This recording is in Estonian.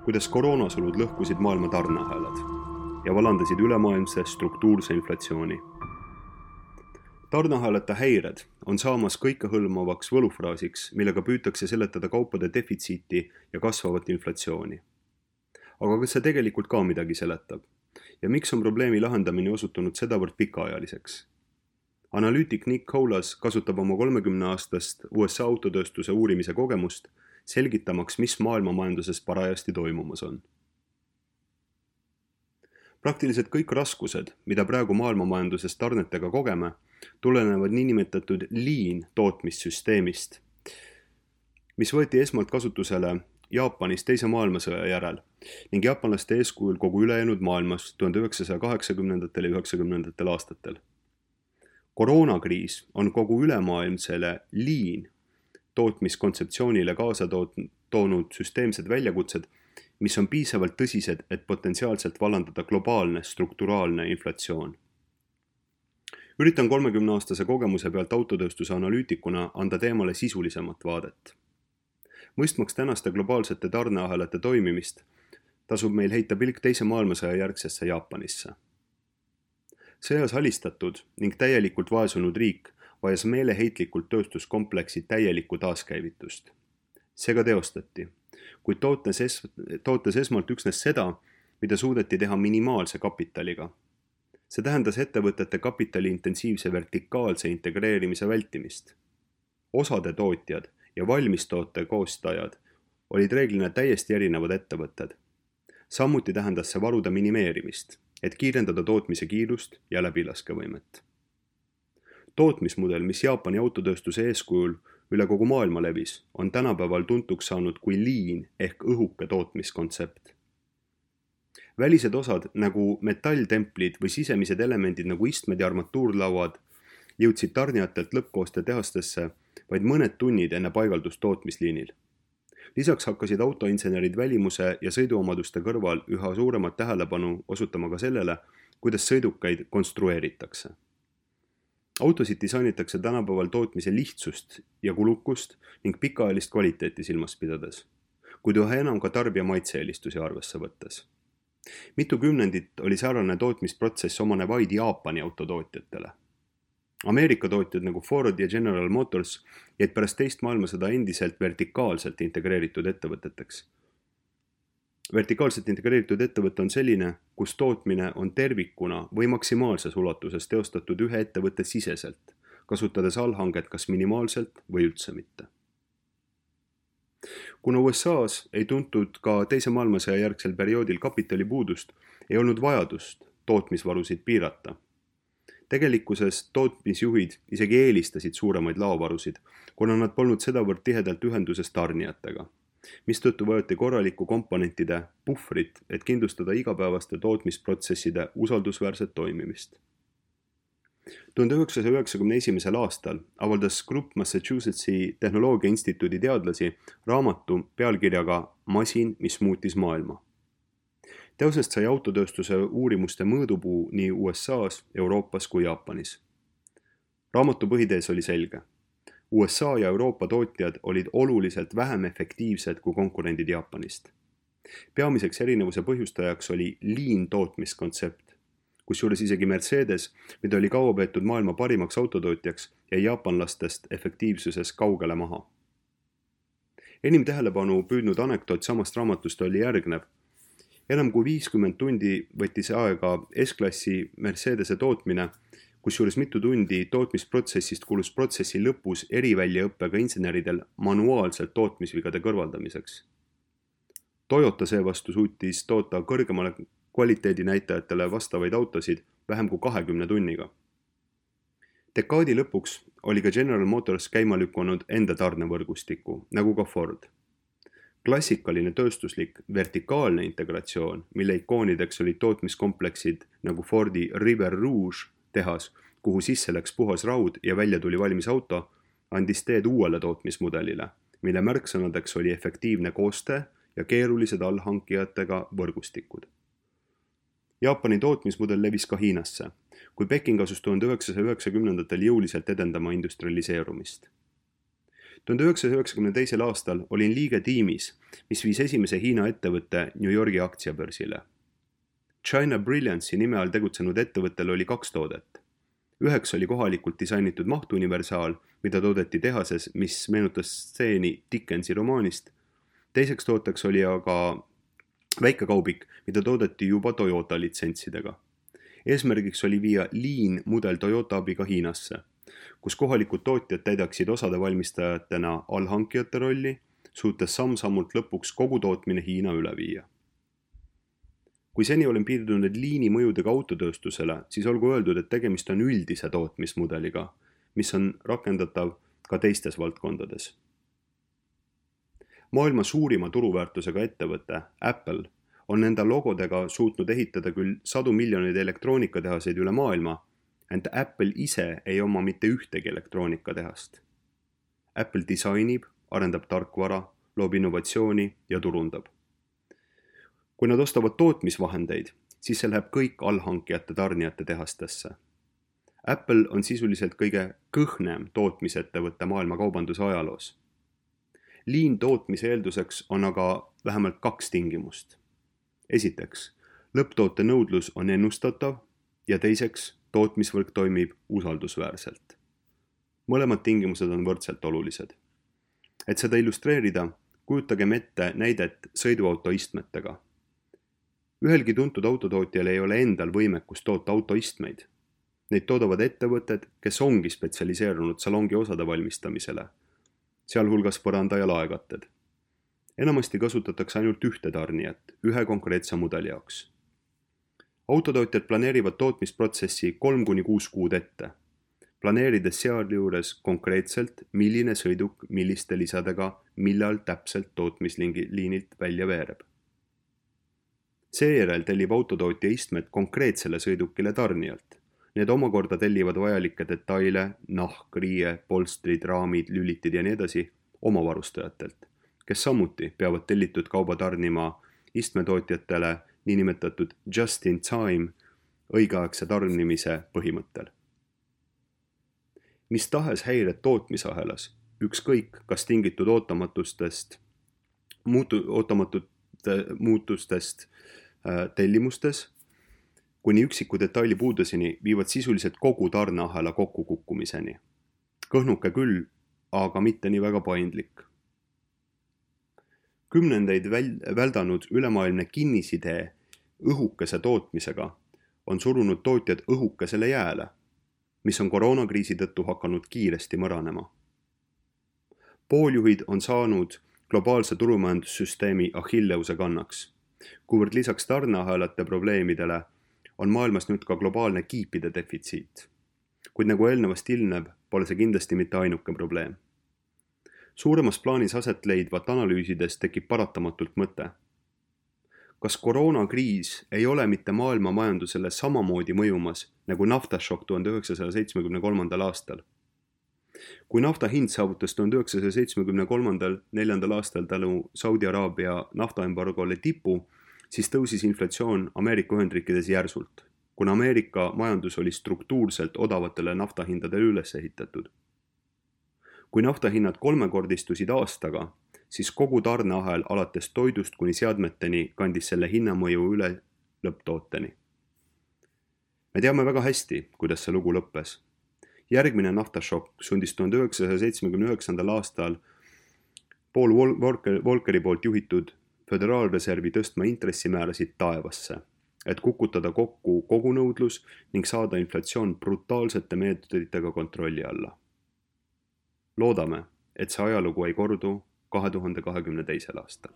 kuidas koroonasulud lõhkusid maailma tarneahelad ja valandasid ülemaailmse struktuurse inflatsiooni. Tarneahelate häired on saamas kõikehõlmavaks võlufraasiks, millega püütakse seletada kaupade defitsiiti ja kasvavat inflatsiooni. Aga kas see tegelikult ka midagi seletab? Ja miks on probleemi lahendamine osutunud sedavõrd pikaajaliseks? Analüütik Nick Colas kasutab oma 30-aastast USA autotööstuse uurimise kogemust, selgitamaks, mis maailmamajanduses parajasti toimumas on. Praktiliselt kõik raskused, mida praegu maailmamajanduses tarnetega kogeme, tulenevad niinimetatud lean tootmissüsteemist, mis võeti esmalt kasutusele Jaapanis teise maailmasõja järel ning jaapanlaste eeskujul kogu ülejäänud maailmas 1980. ja 90. aastatel. Koroonakriis on kogu ülemaailmsele lean tootmiskontseptsioonile kaasa toonud süsteemsed väljakutsed, mis on piisavalt tõsised, et potentsiaalselt vallandada globaalne strukturaalne inflatsioon. Üritan 30-aastase kogemuse pealt autotööstuse analüütikuna anda teemale sisulisemat vaadet. Mõistmaks tänaste globaalsete tarneahelate toimimist, tasub meil heita pilk teise maailmasõja järgsesse Jaapanisse. Sõjas alistatud ning täielikult vaesunud riik vajas meeleheitlikult tööstuskompleksi täielikku taaskäivitust. See ka teostati, kuid tootes esmalt üksnes seda, mida suudeti teha minimaalse kapitaliga. See tähendas ettevõtete kapitali intensiivse vertikaalse integreerimise vältimist. Osade tootjad ja valmistoote koostajad olid reeglina täiesti erinevad ettevõtted. Samuti tähendas see varude minimeerimist, et kiirendada tootmise kiirust ja läbilaskevõimet. Tootmismudel, mis Jaapani autotööstuse eeskujul üle kogu maailma levis, on tänapäeval tuntuks saanud kui lean ehk õhuke tootmiskontsept. Välised osad nagu metalltemplid või sisemised elemendid nagu istmed ja armatuurlauad jõudsid tarnijatelt lõppkooste tehastesse vaid mõned tunnid enne paigaldust tootmisliinil. Lisaks hakkasid autoinsenerid välimuse ja sõiduomaduste kõrval üha suuremat tähelepanu osutama ka sellele, kuidas sõidukaid konstrueeritakse. Autosid disainitakse tänapäeval tootmise lihtsust ja kulukust ning pikaajalist kvaliteeti silmas pidades, kuid üha enam ka tarbija maitse-eelistusi arvesse võttes. Mitu kümnendit oli säärane tootmisprotsess omane vaid Jaapani autotootjatele. Ameerika tootjad nagu Ford ja General Motors jäid pärast teist maailmasõda endiselt vertikaalselt integreeritud ettevõteteks. Vertikaalselt integreeritud ettevõte on selline, kus tootmine on tervikuna või maksimaalses ulatuses teostatud ühe ettevõtte siseselt, kasutades allhanget kas minimaalselt või üldse mitte. Kuna USA-s ei tuntud ka teise maailmasõja järgsel perioodil kapitalipuudust, ei olnud vajadust tootmisvarusid piirata. Tegelikkuses tootmisjuhid isegi eelistasid suuremaid laovarusid, kuna nad polnud sedavõrd tihedalt ühenduses tarnijatega, mistõttu vajati korralikku komponentide puhvrit, et kindlustada igapäevaste tootmisprotsesside usaldusväärset toimimist. 1991. aastal avaldas grupp Massachusettsi Tehnoloogia Instituudi teadlasi raamatu pealkirjaga Masin, mis muutis maailma. Teosest sai autotööstuse uurimuste mõõdupuu nii USA-s, Euroopas kui Jaapanis. Raamatu põhitees oli selge. USA ja Euroopa tootjad olid oluliselt vähem efektiivsed kui konkurendid Jaapanist. Peamiseks erinevuse põhjustajaks oli lean tootmiskontsept, kusjuures isegi Mercedes, mida oli kaua peetud maailma parimaks autotootjaks, jäi jaapanlastest efektiivsuses kaugele maha. Enim tähelepanu püüdnud anekdoot samast raamatust oli järgnev. Enam kui 50 tundi võttis aega S-klassi Mercedese tootmine, kusjuures mitu tundi tootmisprotsessist kulus protsessi lõpus eriväljaõppega inseneridel manuaalselt tootmisvigade kõrvaldamiseks. Toyota seevastu suutis toota kõrgemale kvaliteedinäitajatele vastavaid autosid vähem kui 20 tunniga. Dekaadi lõpuks oli ka General Motors käima lükanud enda tarnevõrgustiku, nagu ka Ford. Klassikaline tööstuslik vertikaalne integratsioon, mille ikoonideks olid tootmiskompleksid nagu Fordi River Rouge tehas, kuhu sisse läks puhas raud ja välja tuli valmis auto, andis teed uuele tootmismudelile, mille märksõnadeks oli efektiivne koostöö ja keerulised allhankijatega võrgustikud. Jaapani tootmismudel levis ka Hiinasse, kui Peking asus 1990-ndatel jõuliselt edendama industrialiseerumist. 1992. aastal olin liige tiimis, mis viis esimese Hiina ettevõtte New Yorgi aktsiabörsile. China Brilliance'i nime all tegutsenud ettevõttel oli 2 toodet. Üheks oli kohalikult disainitud mahtuniversaal, mida toodeti tehases, mis meenutas stseeni Dickensi romaanist. Teiseks tooteks oli aga väikekaubik, mida toodeti juba Toyota litsentsidega. Eesmärgiks oli viia Lean mudel Toyota abiga Hiinasse, kus kohalikud tootjad täidaksid osade valmistajatena allhankijate rolli, suutes samm-sammult lõpuks kogu tootmine Hiina üle viia. Kui seni olen piirdunud Leani mõjudega autotööstusele, siis olgu öeldud, et tegemist on üldise tootmismudeliga, mis on rakendatav ka teistes valdkondades. Maailma suurima turuväärtusega ettevõte, Apple, on enda logodega suutnud ehitada küll 100 miljoneid elektroonikatehaseid üle maailma, ent Apple ise ei oma mitte ühtegi elektroonikatehast. Apple disainib, arendab tarkvara, loob innovatsiooni ja turundab. Kui nad ostavad tootmisvahendeid, siis see läheb kõik allhankijate tarnijate tehastesse. Apple on sisuliselt kõige kõhnem tootmisettevõtte maailma kaubanduse ajaloos. Lean tootmise eelduseks on aga vähemalt 2 tingimust. Esiteks, lõpptoote nõudlus on ennustatav ja teiseks, tootmisvõrk toimib usaldusväärselt. Mõlemad tingimused on võrdselt olulised. Et seda illustreerida, kujutagem ette näidet sõiduauto istmetega. Ühelgi tuntud autotootjal ei ole endal võimekust toota autoistmeid. Neid toodavad ettevõtted, kes ongi spetsialiseerunud salongi osade valmistamisele, sealhulgas põranda- ja laekatted. Enamasti kasutatakse ainult ühte tarnijat, ühe konkreetse mudeli jaoks. Autotootjad planeerivad tootmisprotsessi 3-6 kuud ette, planeerides sealjuures konkreetselt, milline sõiduk milliste lisadega millal täpselt tootmisliinilt välja veereb. Seejärel tellib autotootja istmed konkreetsele sõidukile tarnijalt. Need omakorda tellivad vajalikke detaile, nahk, riie, polstrid, raamid, lülitid ja nii edasi oma varustajatelt, kes samuti peavad tellitud kauba tarnima istmetootjatele niinimetatud just in time õigeaegse tarnimise põhimõttel. Mis tahes häired tootmisahelas, ükskõik kas tingitud muutustest tellimustes, kuni üksiku detaili puuduseni viivad sisuliselt kogu tarneahela kokkukukkumiseni. Kõhnuke küll, aga mitte nii väga paindlik. Kümnendeid väldanud ülemaailmne kinnisidee õhukese tootmisega on surunud tootjad õhukesele jääle, mis on koroonakriisi tõttu hakanud kiiresti mõranema. Pooljuhid on saanud globaalse turumajandussüsteemi Achilleuse kannaks, kuivõrd lisaks tarneahelate probleemidele on maailmas nüüd ka globaalne kiipide defitsiit. Kuid nagu eelnevast ilmneb, pole see kindlasti mitte ainuke probleem. Suuremas plaanis aset leidvat analüüsides tekib paratamatult mõte. Kas koroonakriis ei ole mitte maailma majandusele samamoodi mõjumas nagu naftašokk 1973. aastal? Kui nafta hind saavutas 1973-4. aastal tänu Saudi Araabia naftaembargole tipu, siis tõusis inflatsioon Ameerika Ühendriikides järsult, kuna Ameerika majandus oli struktuurselt odavatele naftahindadele üles ehitatud. Kui naftahinnad 3-kordistusid aastaga, siis kogu tarneahel alates toidust kuni seadmeteni kandis selle hinnamõju üle lõpptooteni. Me teame väga hästi, kuidas see lugu lõppes. Järgmine naftašokk sundis 1979. aastal Paul Volckeri poolt juhitud Föderaalreservi tõstma intressimäärasid taevasse, et kukutada kokku kogunõudlus ning saada inflatsioon brutaalsete meetoditega kontrolli alla. Loodame, et see ajalugu ei kordu 2022. aastal.